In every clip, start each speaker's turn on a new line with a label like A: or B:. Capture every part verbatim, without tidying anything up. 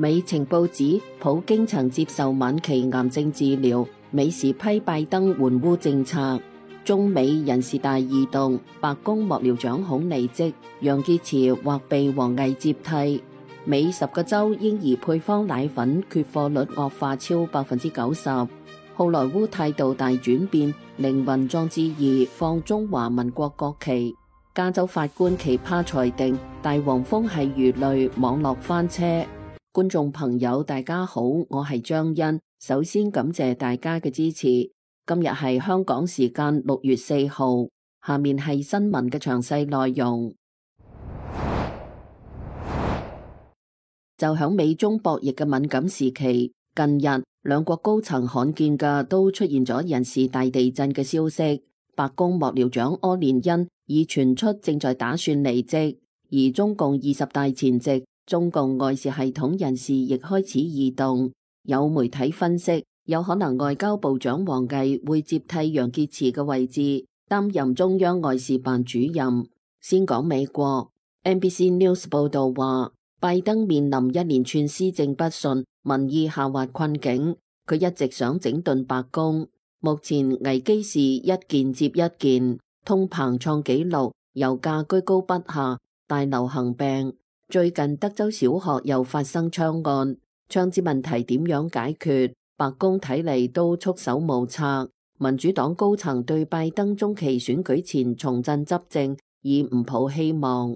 A: 美情報指普京曾接受晚期癌症治療，美時批拜登援烏政策。中美人事大異動，白宮幕僚長恐離職，楊潔篪或被王毅接替。美十個州嬰兒配方奶粉缺貨率惡化超百分之九十。好萊塢態度大轉變，凌雲壯志二放中華民國國旗。加州法官奇葩裁定大黃蜂係魚類，網絡翻車。觀眾朋友大家好，我係張欣，首先感謝大家嘅支持。今日係香港時間六月四號，下面係新聞嘅詳細內容。就響美中博弈嘅敏感時期，近日兩國高層罕見嘅都出現咗人事大地震嘅消息。白宮幕僚長柯連恩已傳出正在打算離職，而中共二十大前夕，中共外事系統人事亦開始異動。有媒體分析，有可能外交部長王毅會接替楊潔篪嘅位置，擔任中央外事辦主任。先講美國 ，N B C News 報道話，拜登面臨一連串施政不順、民意下滑困境，佢一直想整頓白宮。目前危機是一件接一件，通膨創紀錄，油價居高不下，大流行病。最近德州小學又發生槍案，槍支問題點樣解決？白宮睇嚟都束手無策。民主黨高層對拜登中期選舉前重振執政已唔抱希望。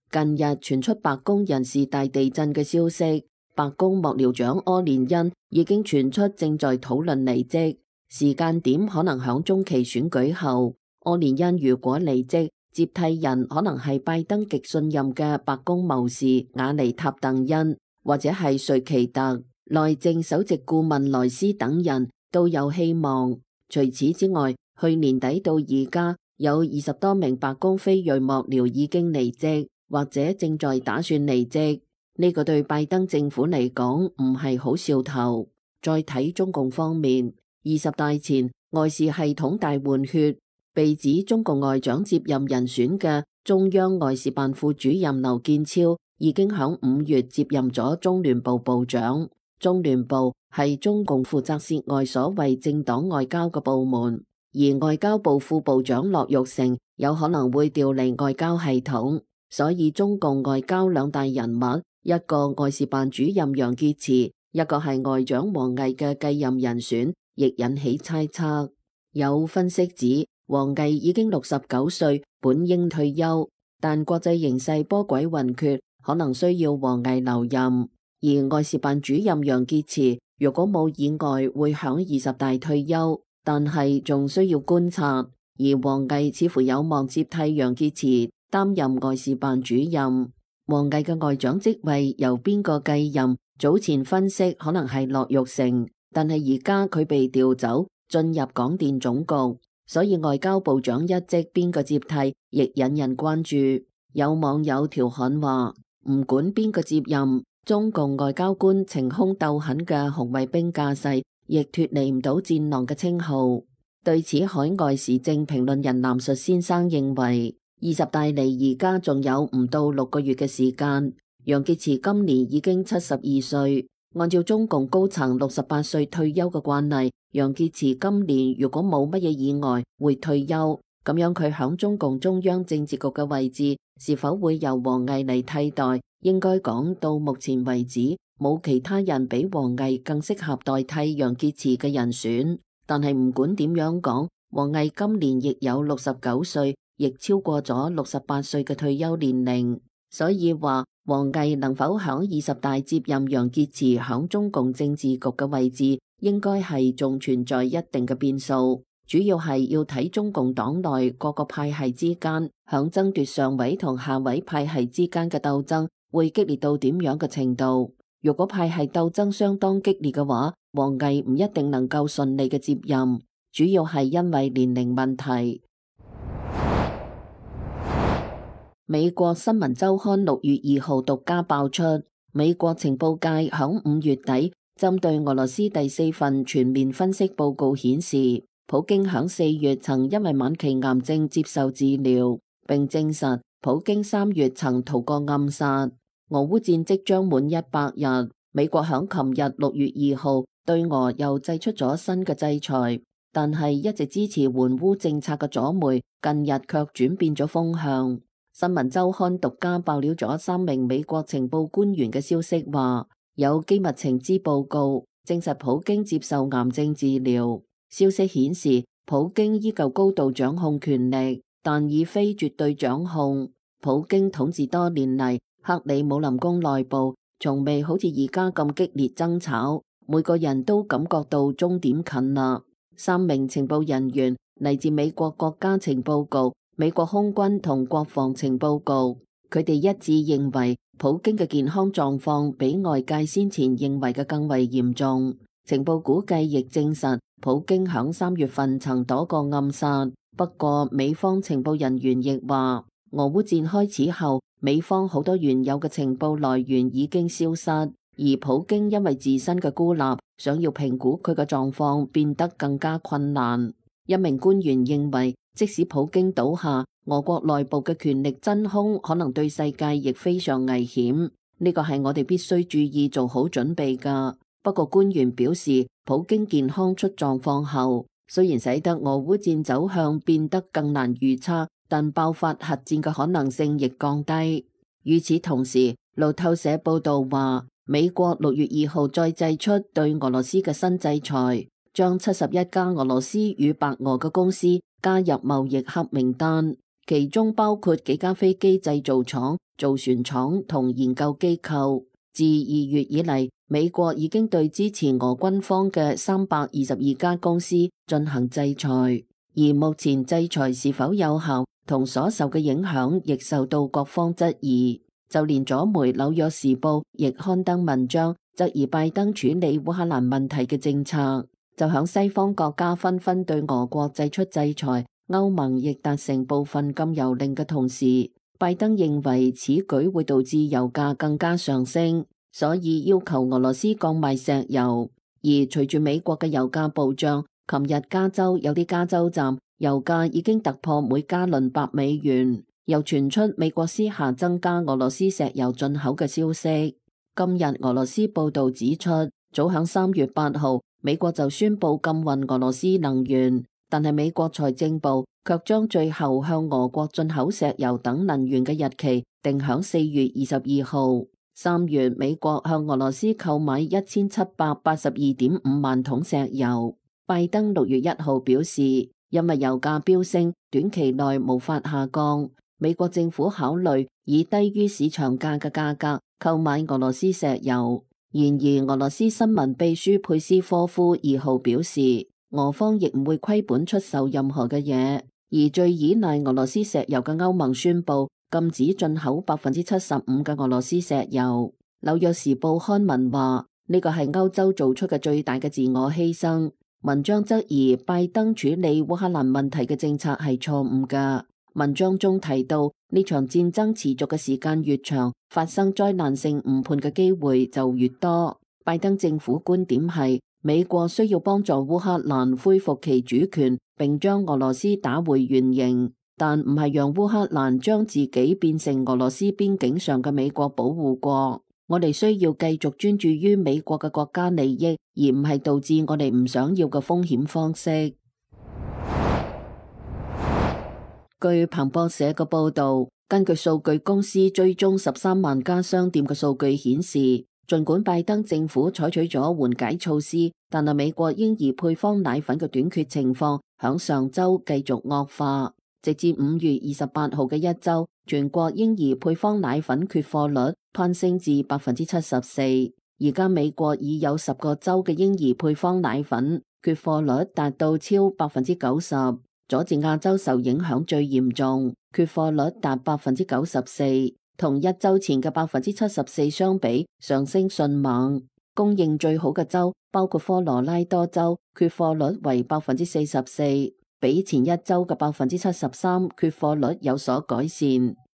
A: 近日傳出白宮人事大地震嘅消息，白宮幕僚長柯連恩已經傳出正在討論離職。時間點可能響中期選舉後，柯連恩如果離職，接替人可能係拜登極信任嘅白宮謀士瓦尼塔鄧恩，或者係瑞奇特、內政首席顧問萊斯等人都有希望。除此之外，去年底到而家有二十多名白宮非裔幕僚已經離職，或者正在打算離職。呢個對拜登政府嚟講唔係好兆頭。再睇中共方面。二十大前外事系統大換血，被指中共外長接任人選嘅中央外事辦副主任劉建超已經響五月接任咗中聯部部長。中聯部係中共負責涉外所謂政黨外交嘅部門，而外交部副部長駱玉成有可能會調離外交系統，所以中共外交兩大人物，一個外事辦主任楊潔篪，一個係外長王毅嘅繼任人選，亦引起猜測。有分析指，王毅已經六十九歲，本應退休，但國際形勢波詭雲譎，可能需要王毅留任。而外事辦主任楊潔篪，如果冇意外，會響二十大退休，但係仲需要觀察。而王毅似乎有望接替楊潔篪擔任外事辦主任。王毅嘅外長職位由邊個繼任？早前分析可能係駱玉成。但係而家佢被調走，進入廣電總局，所以外交部長一職邊個接替，亦引人關注。有網友調侃話，唔管邊個接任，中共外交官晴空鬥狠嘅紅衛兵架勢，亦脫離唔到戰狼嘅稱號。對此，海外時政評論人藍述先生認為，二十大離而家仲有唔到六個月嘅時間。楊潔篪今年已經七十二歲。按照中共高層六十八歲退休嘅慣例，楊潔篪今年如果冇乜嘢意外會退休，咁樣佢響中共中央政治局嘅位置是否會由王毅嚟替代？應該講到目前為止，冇其他人比王毅更適合代替楊潔篪嘅人選。但係唔管點樣講，王毅今年亦有六十九歲，亦超過咗六十八歲嘅退休年齡，所以話。王毅能否響二十大接任楊潔篪響中共政治局嘅位置，應該係仲存在一定嘅變數。主要係要睇中共黨內各個派系之間響爭奪上位同下位派系之間嘅鬥爭會激烈到點樣嘅程度。如果派系鬥爭相當激烈嘅話，王毅唔一定能夠順利嘅接任，主要係因為年齡問題。美國新聞週刊六月二號獨家爆出，美國情報界響五月底針對俄羅斯第四份全面分析報告顯示，普京響四月曾因為晚期癌症接受治療，並證實普京三月曾逃過暗殺。俄烏戰即將滿一百日，美國響琴日六月二號對俄又祭出咗新嘅制裁，但係一直支持援烏政策嘅左媒近日卻轉變咗風向。新聞週刊獨家爆料咗三名美國情報官員嘅消息，話有機密情資報告證實普京接受癌症治療。消息顯示，普京依舊高度掌控權力，但已非絕對掌控。普京統治多年嚟，克里姆林宮內部從未好似而家咁激烈爭吵，每個人都感覺到終點近啦。三名情報人員嚟自美國國家情報局、美國空軍同國防情報局，佢哋一致認為普京嘅健康狀況比外界先前認為嘅更為嚴重。情報估計亦證實普京響三月份曾躲過暗殺。不過美方情報人員亦話，俄烏戰開始後，美方好多原有嘅情報來源已經消失，而普京因為自身嘅孤立，想要評估佢嘅狀況變得更加困難。一名官員認為，即使普京倒下，俄國內部嘅權力真空可能對世界亦非常危險，呢個係我哋必須注意做好準備㗎。不過官員表示，普京健康出狀況後，雖然使得俄烏戰走向變得更難預測，但爆發核戰嘅可能性亦降低。與此同時，路透社報道話，美國六月二號再祭出對俄羅斯嘅新制裁，將七十一家俄羅斯與白俄嘅公司加入貿易黑名單，其中包括幾家飛機製造廠、造船廠同研究機構。自二月以嚟，美國已經對支持俄軍方嘅三百二十二家公司進行制裁，而目前制裁是否有效同所受嘅影響亦受到各方質疑。就連左媒《紐約時報》亦刊登文章質疑拜登處理烏克蘭問題嘅政策。就響西方國家紛紛對俄國祭出制裁，歐盟亦達成部分禁油令嘅同時，拜登認為此舉會導致油價更加上升，所以要求俄羅斯降賣石油。而隨住美國嘅油價暴漲，琴日加州有啲加州站油價已經突破每加侖百美元，又傳出美國私下增加俄羅斯石油進口嘅消息。今日俄羅斯報道指出，早響三月八號，美國就宣布禁運俄羅斯能源，但係美國財政部卻將最後向俄國進口石油等能源嘅日期定響四月二十二號。三月，美國向俄羅斯購買一千七百八十二點五萬桶石油。拜登六月一號表示，因為油價飆升，短期內無法下降，美國政府考慮以低於市場價嘅價格購買俄羅斯石油。然而，俄羅斯新聞秘書佩斯科夫二號表示，俄方亦唔會虧本出售任何嘅嘢。而最依賴俄羅斯石油嘅歐盟宣布禁止進口百分之七十五嘅俄羅斯石油。紐約時報刊文話，呢個係歐洲做出嘅最大嘅自我犧牲。文章質疑拜登處理烏克蘭問題嘅政策係錯誤㗎。文章中提到，呢場戰爭持續嘅時間越長，發生災難性誤判嘅機會就越多。拜登政府觀點係，美國需要幫助烏克蘭恢復其主權，並將俄羅斯打回原形，但唔係讓烏克蘭將自己變成俄羅斯邊境上嘅美國保護國。我哋需要繼續專注於美國嘅國家利益，而唔係導致我哋唔想要嘅風險方式。據彭博社嘅報道，根據數據公司追蹤十三萬家商店嘅數據顯示，儘管拜登政府採取咗緩解措施，但係美國嬰兒配方奶粉嘅短缺情況響上週繼續惡化。直至五月二十八號嘅一週，全國嬰兒配方奶粉缺貨率攀升至百分之七十四。而家美國已有十個州嘅嬰兒配方奶粉缺貨率達到超百分之九十。佐治亞州受影響最嚴重，缺貨率達百分之九十四，同一週前嘅百分之七十四相比，上升迅猛。供應最好嘅州包括科羅拉多州，缺貨率為百分之四十四，比前一週嘅百分之七十三缺貨率有所改善。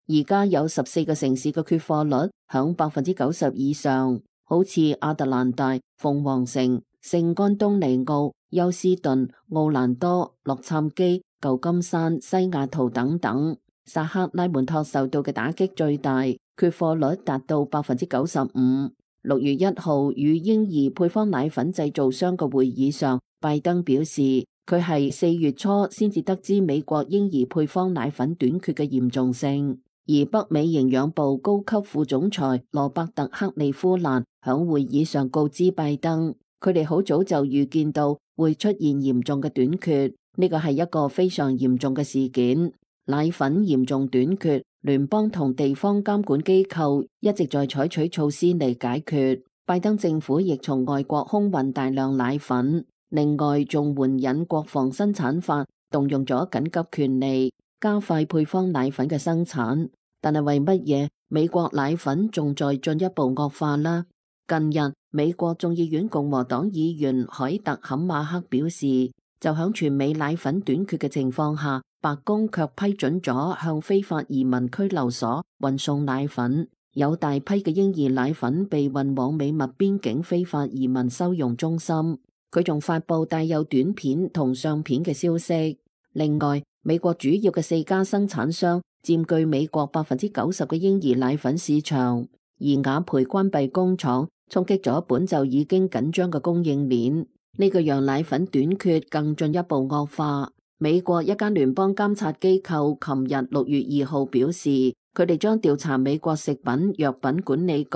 A: 而家有十四個城市嘅缺貨率響百分之九十以上，好似亞特蘭大、鳳凰城、聖安東尼奧、休斯頓、奧蘭多、洛杉磯、舊金山、西雅圖等等。薩克拉門托受到嘅打擊最大，缺貨率達到百分之九十五。六月一號與嬰兒配方奶粉製造商嘅會議上，拜登表示佢係四月初先至得知美國嬰兒配方奶粉短缺嘅嚴重性，而北美營養部高級副總裁羅伯特克利夫蘭響會議上告知拜登，佢哋好早就預見到會出現嚴重嘅短缺，呢個係一個非常嚴重嘅事件。奶粉嚴重短缺，聯邦同地方監管機構一直在採取措施嚟解決。拜登政府亦從外國空運大量奶粉，另外仲援引國防生產法，動用咗緊急權利，加快配方奶粉嘅生產。但係為乜嘢美國奶粉仲在進一步惡化呢？近日，美國眾議院共和黨議員凱特坎馬克表示，就響全美奶粉短缺嘅情況下，白宮卻批准咗向非法移民拘留所運送奶粉，有大批嘅嬰兒奶粉被運往美墨邊境非法移民收容中心。佢仲發佈帶有短片同相片嘅消息。另外，美國主要嘅四家生產商佔據美國百分之九十嘅嬰兒奶粉市場，而雅培關閉工廠，衝擊咗本就已經緊張嘅供應鏈，呢個讓奶粉短缺更進一步惡化。美國一間聯邦監察機構琴日六月二號表示，佢哋將調查美國食品藥品管理局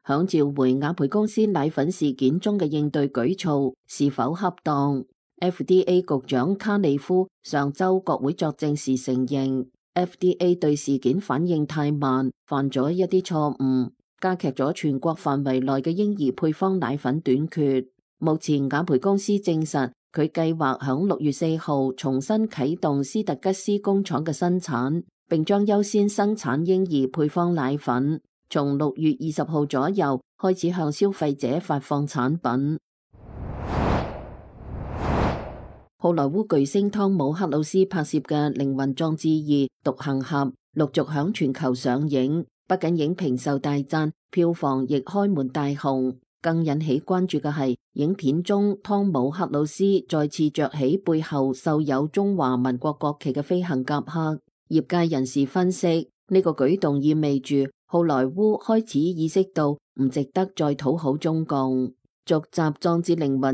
A: 響召回雅培公司奶粉事件中嘅應對舉措是否恰當。F D A 局長卡利夫上週國會作證時承認 ，F D A 對事件反應太慢，犯咗一啲錯誤，加劇咗全國範圍內嘅嬰兒配方奶粉短缺。目前雅培公司證實，佢計劃響六月四號重新啟動斯特吉斯工廠嘅生產，並將優先生產嬰兒配方奶粉，從六月二十號左右開始向消費者發放產品。好萊塢巨星湯姆克魯斯拍攝嘅《靈魂壯志二：獨行俠》陸續響全球上映，不僅影評受大讚，票房亦開門大紅。更引起關注嘅係，影片中湯姆克魯斯再次着起背後繡有中華民國國旗嘅飛行夾克。業界人士分析，呢個舉動意味住好萊塢開始意識到唔值得再討好中共。續集《壯志凌雲二》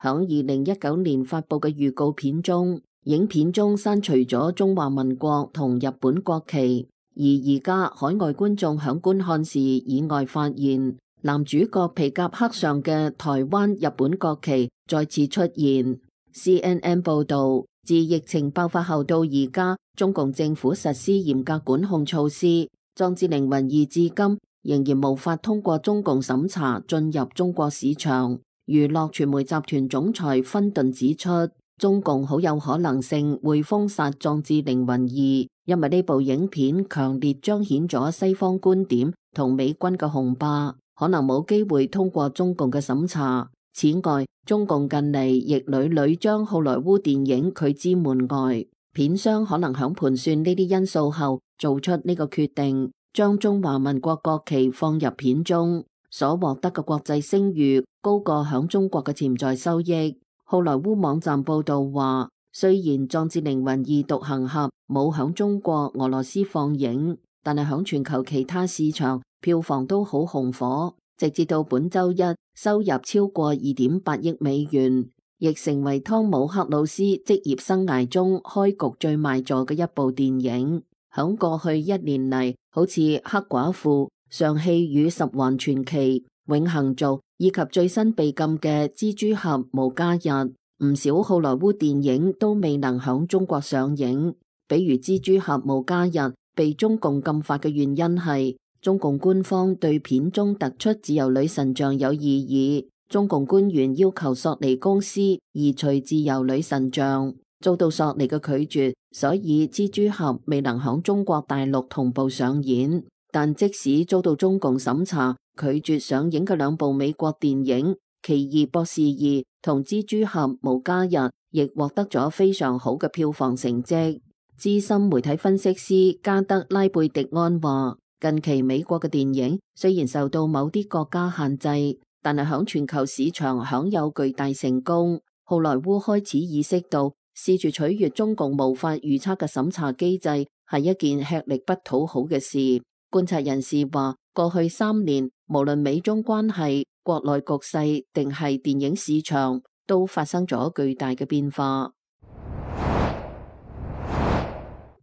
A: 響二零一九年發佈嘅預告片中，影片中刪除咗中華民國同日本國旗，而而家海外觀眾響觀看時意外發現，男主角皮夾克上嘅台灣日本國旗再次出現。C N N 報道，自疫情爆發後到而家，中共政府實施嚴格管控措施，《壯志凌雲二》至今仍然無法通過中共審查進入中國市場。娛樂傳媒集團總裁芬頓指出，中共好有可能性會封殺《壯志凌雲二》，因為呢部影片強烈彰顯咗西方觀點同美軍嘅雄霸，可能冇機會通過中共嘅審查。此外，中共近嚟亦屢屢將好萊塢電影拒之門外，片商可能響盤算呢啲因素後做出呢個決定，將中華民國國旗放入片中，所獲得嘅國際聲譽高過響中國嘅潛在收益。好萊塢網站報道話，雖然《壯志凌雲二：獨行俠》冇響中國、俄羅斯放映，但係響全球其他市場票房都好紅火，直至到本周一收入超過二點八億美元，亦成為湯姆克魯斯職業生涯中開局最賣座嘅一部電影。響過去一年嚟，好似黑寡婦、尚氣與十環傳奇、永恆族以及最新被禁嘅蜘蛛俠無家日，唔少好萊塢電影都未能響中國上映。比如蜘蛛俠無家日被中共禁發嘅原因係中共官方對片中突出自由女神像有異議，中共官員要求索尼公司移除自由女神像，遭到索尼嘅拒絕，所以蜘蛛俠未能響中國大陸同步上演。但即使遭到中共審查拒絕上映嘅兩部美國電影《奇異博士二》同《蜘蛛俠無家日》亦獲得咗非常好嘅票房成績。資深媒體分析師加德拉貝迪安話，近期美國嘅電影雖然受到某啲國家限制，但係響全球市場享有巨大成功。好萊塢開始意識到，試住取悅中共無法預測嘅審查機制係一件吃力不討好嘅事。觀察人士話，過去三年，無論美中關係、國內局勢定係電影市場，都發生咗巨大嘅變化。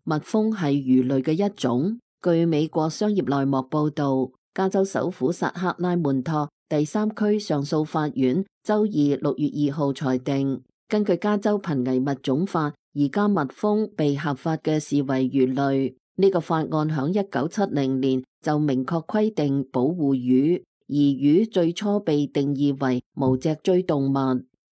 A: 蜜蜂係魚類嘅一種。據美國商業內幕報道，加州首府薩克拉門托第三區上訴法院周二六月二號裁定，根據加州瀕危物種法，而家蜜蜂被合法嘅視為魚類。呢、這個法案響一九七零年就明確規定保護魚，而魚最初被定義為無脊椎動物。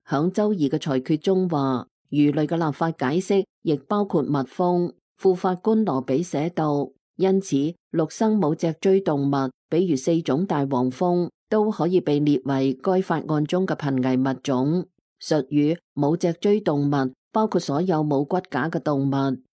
A: 響周二嘅裁決中話，魚類嘅立法解釋亦包括蜜蜂。副法官羅比寫道，因此陸生無脊椎動物，比如四種大黃蜂，都可以被列為該法案中嘅瀕危物種。術語無脊椎動物包括所有冇骨架嘅動物，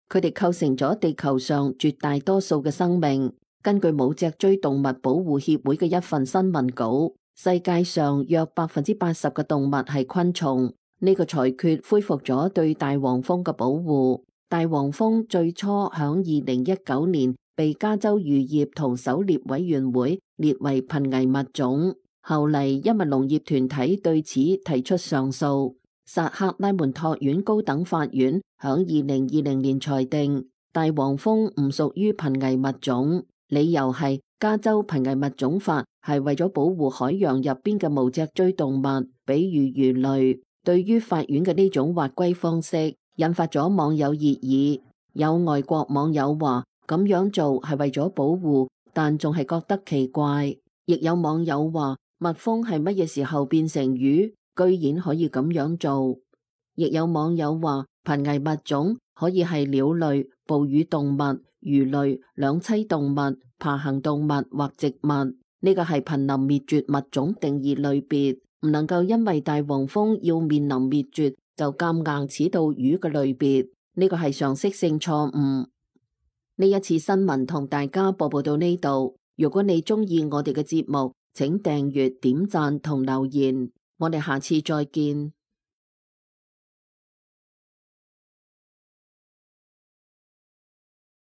A: 佢哋構成咗地球上絕大多數嘅生命。根據無脊椎動物保護協會嘅一份新聞稿，世界上約百分之八十嘅動物係昆蟲。呢個裁決恢復咗對大黃蜂嘅保護。大黃蜂最初響二零一九年被加州漁業同狩獵委員會列為瀕危物種，後嚟因為農業團體對此提出上訴，薩克拉門托縣高等法院響二零二零年裁定大黃蜂唔屬於瀕危物種，理由係加州瀕危物種法係為咗保護海洋入邊嘅無脊椎動物，比如魚類。對於法院嘅呢種劃歸方式，引發咗網友熱議，有外國網友話咁樣做係為咗保護，但仲係覺得奇怪。亦有網友話蜜蜂係乜嘢時候變成魚，居然可以咁樣做。亦有網友話瀕危物種可以係鳥類、哺乳動物、魚類、兩棲動物、爬行動物或植物。呢個係瀕臨滅絕物種定義類別，唔能夠因為大黃蜂要面臨滅絕就夾硬褫到魚嘅類別，呢個係常識性錯誤。呢一次新聞同大家播報到呢度，如果你中意我哋嘅節目，請訂閱、點讚同留言，我哋下次再見。